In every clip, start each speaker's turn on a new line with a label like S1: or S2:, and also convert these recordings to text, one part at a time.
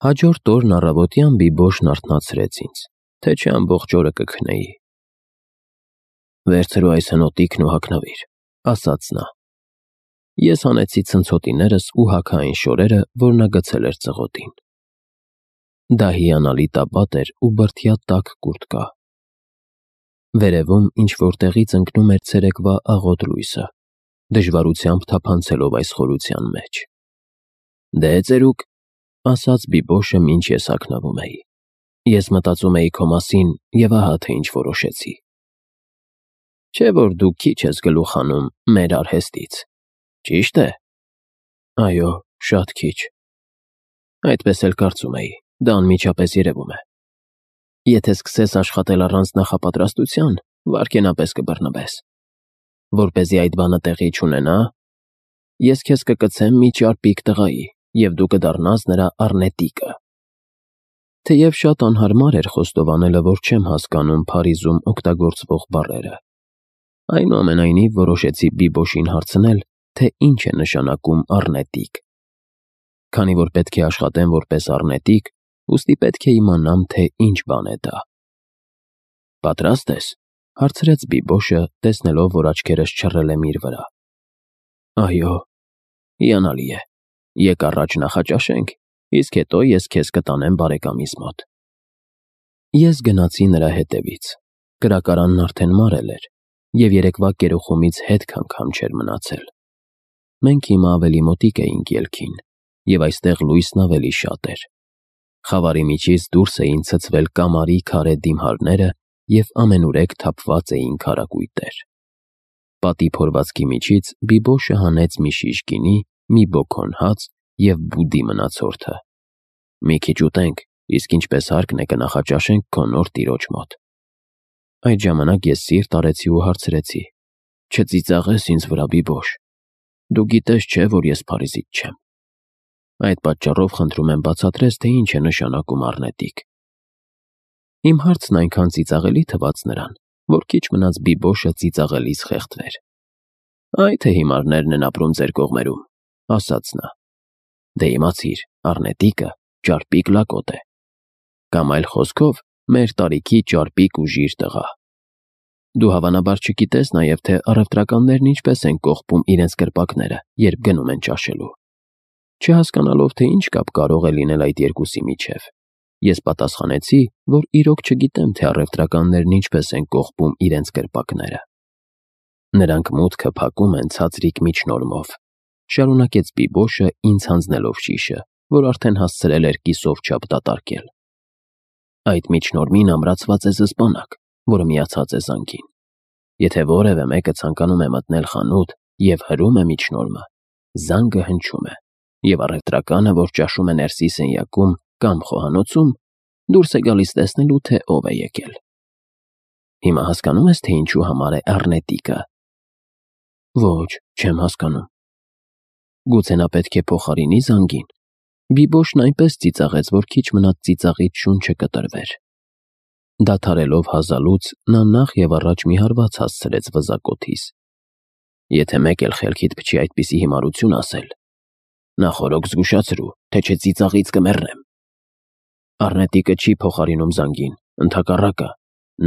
S1: Հաջորդ օրն առավոտյան Բիբոշն արթնացրեց ինձ, թե չէ ամբողջ օրը կքնեի։ «Վերցրու այս հնոտիքն ու հագնվիր», ասաց նա։ Ես հանեցի ցնցոտիներս ու հագա այն շորերը, որ նա գցել էր ծղոտին։ Դա հիանալի տապատ էր ու բրդյա տաք կուրտկա։ Վերևում ինչ-որ տեղից ընկնում էր ցերեկվա աղոտ լույսը, դժվարությամբ թափանցելով այս խորության մեջ։ «Դե ծերուկ», ասաց Բիբոշը, մինչ ես հագնվում էի։ «Ես մտածում էի քո մասին և ահա թե ինչ որոշեցի։ Չէ՞ որ դու քիչ ես գլուխ հանում մեր արհեստից, ճի՞շտ է»։ «Այո, շատ քիչ»։ «Այդպես էլ կարծում էի, դա անմիջապես երևում է։ Եթե սկսես աշխատել առանց նախապատրաստության, վայրկենապես կբռնվես։ Որպեսզի այդ բանը տեղի չունենա, ես քեզ կկցեմ մի ճարպիկ տղայի, և դու կդառնաս նրա առնետիկը»։ Թեև շատ անհարմար էր խոստովանելը, որ չեմ հասկանում Փարիզում օգտագործվող բառերը, այնուամենայնիվ որոշեցի Բիբոշին հարցնել, թե ինչ է նշանակում առնետիկ։ Քանի որ պետք է աշխատեմ որպես առնետիկ, ուստի պետք է իմանամ, թե ինչ բան է դա։ «Պատրաստ ես», հարցրեց Բիբոշը, տեսնելով, որ աչքերս չռել եմ իր վրա։ «Այո»։ «Հիանալի է։ Եկ առաջ նախաճաշենք, իսկ հետո ես քեզ կտանեմ բարեկամիս մոտ»։ Ես գնացի նրա հետևից։ Կրակարանն արդեն մարել էր, և երեկվա կերոխումից հետք անգամ չէր մնացել։ Մենք հիմա ավելի մոտիկ էինք ելքին, և այստեղ լույսն ավելի շատ էր։ Խավարի միջից դուրս էին ցցվել կամարի քարե դիմհարները և ամենուրեք թափված էին քարակույտեր։ Պատի փորվածքի միջից Բիբոշը հանեց մի շիշ գինի, մի բոքոն հաց և բուդի մնացորդը։ «Մի քիչ ուտենք, իսկ ինչպես հարկն է կնախաճաշենք քո նոր տիրոջ մոտ»։ Այդ ժամանակ ես սիրտ արեցի ու հարցրեցի. «Չծիծաղես ինձ վրա, Բիբոշ։ Դու գիտես չէ, որ ես Փարիզից չեմ։ Այդ պատճառով խնդրում եմ բացատրես, թե ինչ է նշանակում առնետիկ»։ Իմ հարցն այնքան ծիծաղելի թվաց նրան, որ քիչ մնաց Բիբոշը ծիծաղելիս խեղդվեր։ «Այ թե հիմարներն են ապրում ձեր կողմերում», ասաց նա։ «Դե իմացիր, առնետիկը ճարպիկ լակոտ է։ Կամ այլ խոսքով, մեր տարիքի ճարպիկ ու ժիր տղա։ Դու հավանաբար չգիտես նաև, թե առևտրականներն ինչպես են կողպում իրենց կրպակները, երբ գնում են ճաշելու»։ Չհասկանալով, թե ինչ կապ կարող է լինել այդ երկուսի միջև, ես պատասխանեցի, որ իրոք չգիտեմ, թե առևտրականներն ինչպես են կողպում իրենց կրպակները։ «Նրանք մուտքը փակում են ցածրիկ միջնորմով», շարունակեց Բիբոշը, ինձ հանձնելով շիշը, որ արդեն հասցրել էր կիսով չափ դատարկել։ «Այդ միջնորմին ամրացված է զսպանակ, որը միացած է զանգին։ Եթե որևէ մեկը ցանկանում է մտնել խանութ և հրում է միջնորմը, զանգը հնչում է, և առևտրականը, որ ճաշում է ներսի սենյակում կամ խոհանոցում, դուրս է գալիս տեսնելու, թե ով է եկել։ Հիմա հասկանո՞ւմ ես, թե ինչու համար է առնետիկը»։ «Ոչ, չեմ հասկանում»։ «Գուցե նա պետք է փոխարինի զանգին»։ Բիբոշն այնպես ծիծաղեց, որ քիչ մնաց ծիծաղից շունչը կտրվեր։ Դադարելով հազալուց, նա նախ և առաջ մի հարված հասցրեց վզակոթիս։ «Եթե մեկ էլ խելքիդ փչի այդպիսի հիմարություն ասել, նախօրոք զգուշացրու, թե չէ ծիծաղից կմեռնեմ։ Առնետիկը չի փոխարինում զանգին, ընդհակառակը,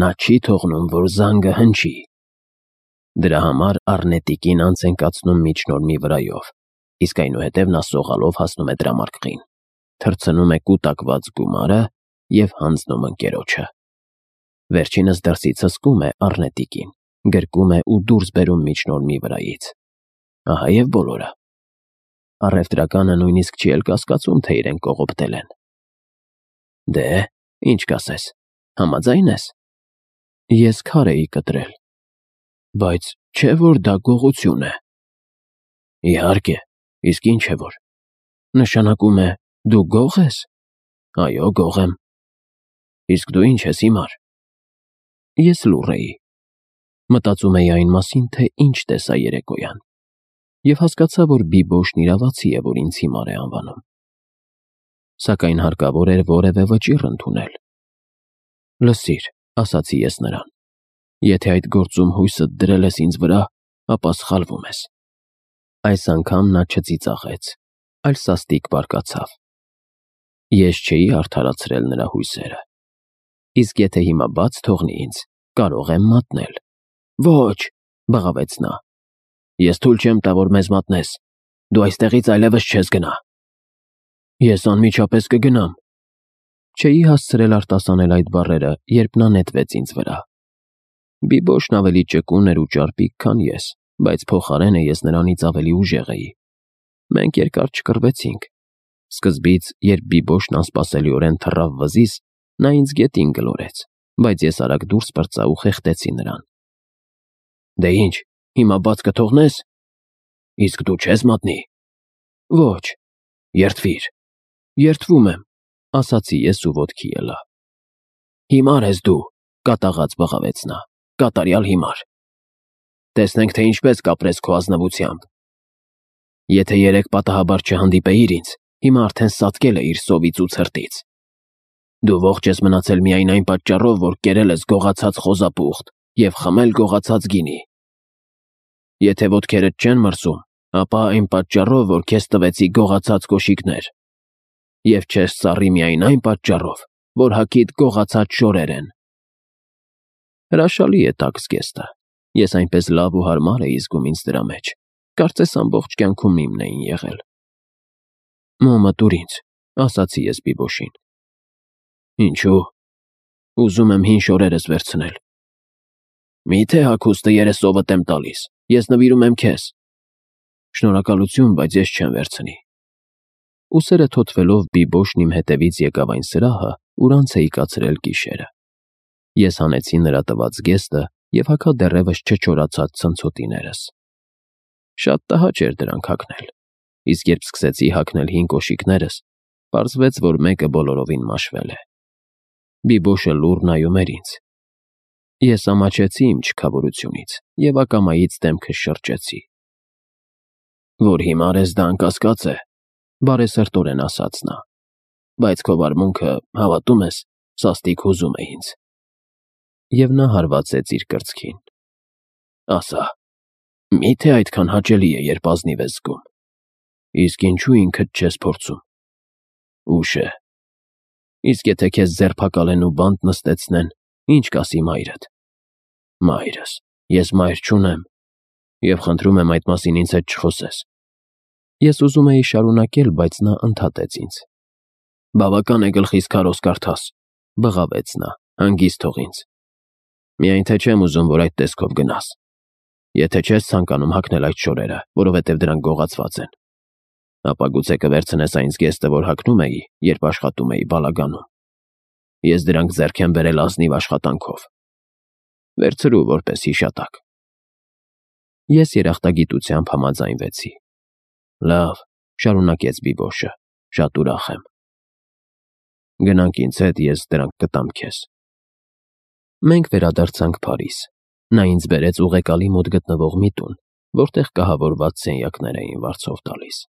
S1: նա չի թողնում, որ զանգը հնչի։ Դրա համար առնետիկին անց են կացնում միջնորմի վրայով, իսկ այնուհետև նա սողալով հասնում է դրամարկղին, թռցնում է կուտակված գումարը և հանձնում ընկերոջը։ Վերջինս դրսից հսկում է առնետիկին, գրկում է ու դուրս բերում միջնորմի վրայից։ Ահա և բոլորը։ Առևտրականը նույնիսկ չի էլ կասկածում, թե իրեն կողոպտել են։ Դե, ինչ կասես, համաձայն ես»։ Ես քար էի կտրել։ «Բայց չէ՞ որ դա գողություն է»։ «Իհարկե, իսկ ինչ է որ։ Նշանակում է, դու գող ես»։ «Այո, գող եմ»։ «Իսկ դու ինչ ես հիմար»։ Ես լուռ էի։ Մտածում էի այն մասին, թե ինչ տեսա երեկոյան, և հասկացա, որ Բիբոշն իրավացի է, որ ինձ հիմար է անվանում։ Սակայն հարկավոր էր որևէ վճիռ ընդունել։ «Լսիր», ասացի ես նրան, «եթե այդ գործում հույսդ դրել ես ինձ վրա, ապա սխալվում ես»։ Այս անգամ նա չծիծաղեց, այլ սաստիկ բարկացավ։ Ես չէի արդարացրել նրա հույսերը։ Իսկ եթե հիմա բաց թողնի ինձ, կարող եմ մատնել։ Ոչ, բղավեց նա։ Ես թույլ չեմ տա, որ մեզ մատնես։ Դու այստեղից այլևս չես գնա։ Ես անմիջապես կգնամ։ Չէի հասցրել արտասանել այդ բառերը, երբ նա նետվեց ինձ վրա։ Բիբոշն ավելի ճկուն էր ու ճարպիկ, քան ես, բայց փոխարենը ես նրանից ավելի ուժեղ էի։ Մենք երկար չկռվեցինք։ Սկզբից, երբ Բիբոշն անսպասելիորեն թռավ վզից, նա ինձ գետին գլորեց, բայց ես արագ դուրս պրծա ու խեղդեցի նրան։ Դե ինչ, հիմա բաց կթողնես։ Իսկ դու չես մատնի։ Ոչ, երդվիր։ Երդվում եմ, ասացի ես ու ոտքի ելա։ Հիմար ես դու, կատաղած բղավեց նա, կատարյալ հիմար։ Տեսնենք, թե ինչպես կապրես քո ազնվությամբ։ Եթե երեք պատահաբար չհանդիպեիր ինձ, հիմա արդեն սատկել էիր սովից ու ցրտից։ Դու ողջ ես մնացել միայն այն պատճառով, որ կերել ես գողացած խոզապուխտ և խմել գողացած գինի։ Եթե ոտքերդ չեն մրսում, ապա այն պատճառով, որ քեզ տվեցի գողացած կոշիկներ։ Եվ չես ծառի միայն այն պատճառով, որ հագիդ գողացած շորեր են։ Հրաշալի է տաք զգեստը։ Ես այնպես լավ ու հարմար էի զգում ինձ դրա մեջ։ Կարծես ամբողջ կյանքում իմն էին եղել։ Մոմը տուր ինձ, ասացի ես Բիբոշին։ Ինչու՞։ Ուզում եմ հին շորերս վերցնել։ Միթե հագուստը երեսովդ եմ տալիս, ես նվիրում եմ քեզ։ Շնորհակալություն, բայց ես չեմ վերցնի։ Ուսերը թոթվելով Բիբոշն իմ հետևից եկավ այն սրահը, ուր անց էի կացրել գիշերը։ Ես հանեցի նրա տված զգեստը և հագա դեռևս չչորացած ցնցոտիներս։ Շատ տհաճ էր դրանք հագնել, իսկ երբ սկսեցի հագնել հին կոշիկներս, պարզվեց, որ մեկը բոլորովին մաշվել է։ Բիբոշը լուռ նայում էր ինձ։ Ես ամաչեցի իմ չքավորությունից և ակամայից դեմքս շրջեցի։ Որ հիմար ես, դա անկասկած է, բարեսրտորեն ասաց նա, բայց քո վարմունքը, հավատում ես, սաստիկ հուզում է ինձ։ Եվ նա հարվածեց իր կրծքին։ Ասա, միթե այդքան հաճելի է, երբ ազնիվ ես զգում։ Իսկ ինչու ինքդ չես փորձում։ Ուշ է։ Իսկ եթե քեզ ձերբակալեն ու բանտ նստեցնեն, ինչ կասի մայրդ։ Մայրս, ես մայր չունեմ, և խնդրում եմ այդ մասին ինձ հետ չխոսես։ Ես ուզում էի շարունակել, բայց նա ընդհատեց ինձ։ Բավական է գլխիս քարոզ կարդաս, բղավեց նա, հանգիստ թող ինձ։ Միայն թե չեմ ուզում, որ այդ տեսքով գնաս։ Եթե չես ցանկանում հագնել այդ շորերը, որովհետև դրանք գողացված են, ապա գուցե կվերցնես այն զգեստը, որ հագնում էի, երբ աշխատում էի բալագանում։ Ես դրանք ձեռք եմ բերել ազնիվ աշխատանքով։ Վերցրու որպես հիշատակ։ Ես երախտագիտությամբ համաձայնվեցի։ Լավ, շարունակեց Բիբոշը, շատ ուրախ եմ։ Գնանք ինձ հետ, ես դրանք կտամ քեզ։ Մենք վերադարձանք Փարիզ։ Նա ինձ բերեց ուղեկալի մոտ գտնվող մի տուն, որտեղ կահավորված սենյակներ էին վարձով տալիս։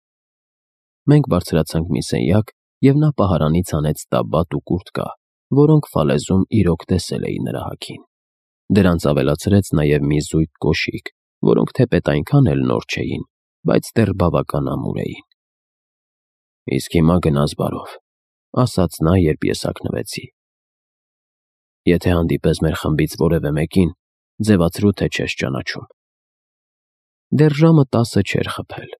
S1: Մենք բարձրացանք մի սենյակ, և նա պահարանից անեց տաբատ ու կուրտկա, որոնք Ֆալեզում իրոք տեսել էի նրա հագին։ Դրանց ավելացրեց նաև մի զույգ կոշիկ, որոնք թեպետ այնքան էլ նոր չէին, բայց դեռ բավական ամուր էին։ Իսկ հիմա գնաս բարով, ասաց նա, երբ ես հագնվեցի։ Եթե հանդիպես մեր խմբից որևէ մեկին, ձևացրու, թե չես ճանաչում։ Դեռ ժամը 10 չէր խփել։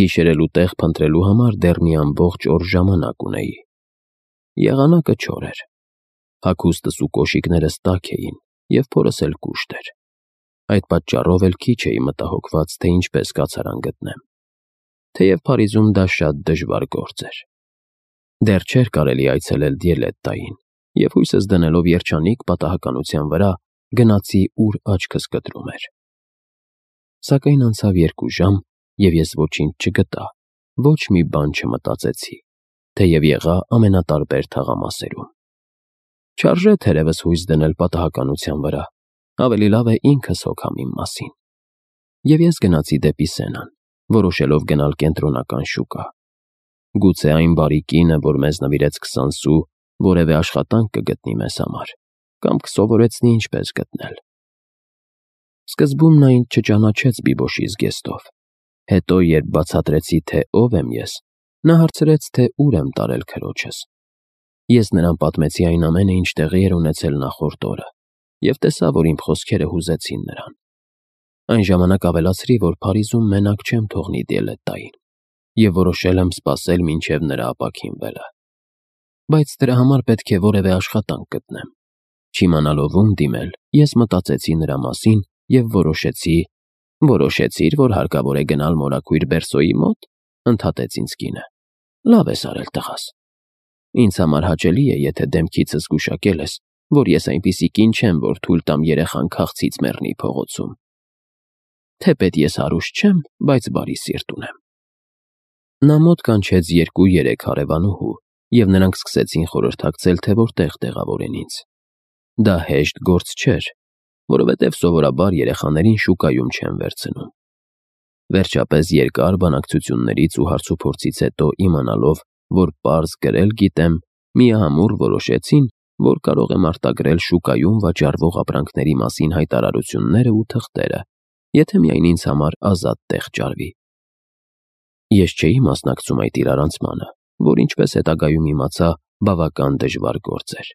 S1: Գիշերելու տեղ փնտրելու համար դեռ մի ամբողջ օր ժամանակ ունեի։ Եղանակը չոր էր։ Հագուստս ու կոշիկներս տաք էին, և փորս էլ կուշտ էր։ Այդ պատճառով էլ քիչ էի մտահոգված, թե ինչպես կացարան գտնեմ։ Թեև Փարիզում դա շատ դժվար գործ էր։ Դեռ չէր կարելի այցելել Դիելետտային, և հույսս դնելով երջանիկ պատահականության վրա, գնացի, ուր աչքս կտրում էր։ Սակայն անցավ 2 ժամ, և ես ոչինչ չգտա, ոչ մի բան չմտածեցի, թեև եղա ամենատարբեր թաղամասերում։ Չարժե թերևս հույս դնել պատահականության վրա, ավելի լավ է ինքս հոգամ իմ մասին։ Եվ ես գնացի դեպի Սենան, որոշելով գնալ կենտրոնական շուկա։ Գուցե այն բարի կինը, որ մեզ նվիրեց 20 սու, որևէ աշխատանք կգտնի մեզ համար, կամ կսովորեցնի ինչպես գտնել։ Սկզբում նա ինձ չճանաչեց Բիբոշի զգեստով։ Հետո, երբ բացատրեցի, թե ով եմ ես, Նա հարցրեց, թե ուր եմ տարել քրոջս։ Ես նրան պատմեցի այն ամենը, ինչ տեղի էր ունեցել նախորդ օրը, և տեսա, որ իմ խոսքերը հուզեցին նրան։ Այն ժամանակ ավելացրի, որ Փարիզում մենակ չեմ թողնի Դիելետտային, և որոշել եմ սպասել մինչև նրա ապաքինվելը։ Բայց դրա համար պետք է որևէ աշխատանք գտնեմ։ Չիմանալով ում դիմել, ես մտածեցի նրա մասին և որոշեցի… Որոշեցի՞ր, որ հարկավոր է գնալ մորաքույր Բերսոյի մոտ, ընդհատեց ինձ կինը։ Լավ ես արել, տղաս։ Ինձ համար հաճելի է, եթե դեմքիցս գուշակել ես, որ ես այնպիսի կին չեմ, որ թույլ տամ երեխան քաղցից մեռնի փողոցում։ Թեպետ ես հարուստ չեմ, բայց բարի սիրտ ունեմ։ Նա մոտ կանչեց 2-3 հարևանուհու, և նրանք սկսեցին խորհրդակցել, թե որտեղ տեղավորեն ինձ։ Դա հեշտ գործ չէր, որովհետև սովորաբար երեխաներին շուկայում չեն վերցնում։ Վերջապես երկար բանակցություններից ու հարցուփորձից հետո իմանալով, որ պարզ գրել գիտեմ, միահամուռ որոշեցին, որ կարող եմ արտագրել շուկայում վաճառվող ապրանքների մասին հայտարարությունները ու թղթերը, եթե միայն ինձ համար ազատ տեղ ճարվի։ Ես չէի մասնակցում այդ իրարանցմանը, որ ինչպես հետագայում իմացա, բավական դժվար գործ էր։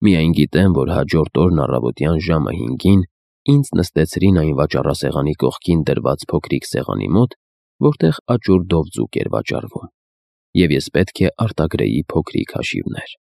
S1: Միայն գիտեմ, որ հաջորդ օրն առավոտյան ժամը 5-ին ինձ նստեցրին այն վաճառասեղանի կողքին դրված փոքրիկ սեղանի մոտ, որտեղ աճուրդով ձուկ էր վաճառվում, և ես պետք է արտագրեի փոքրիկ հաշիվներ։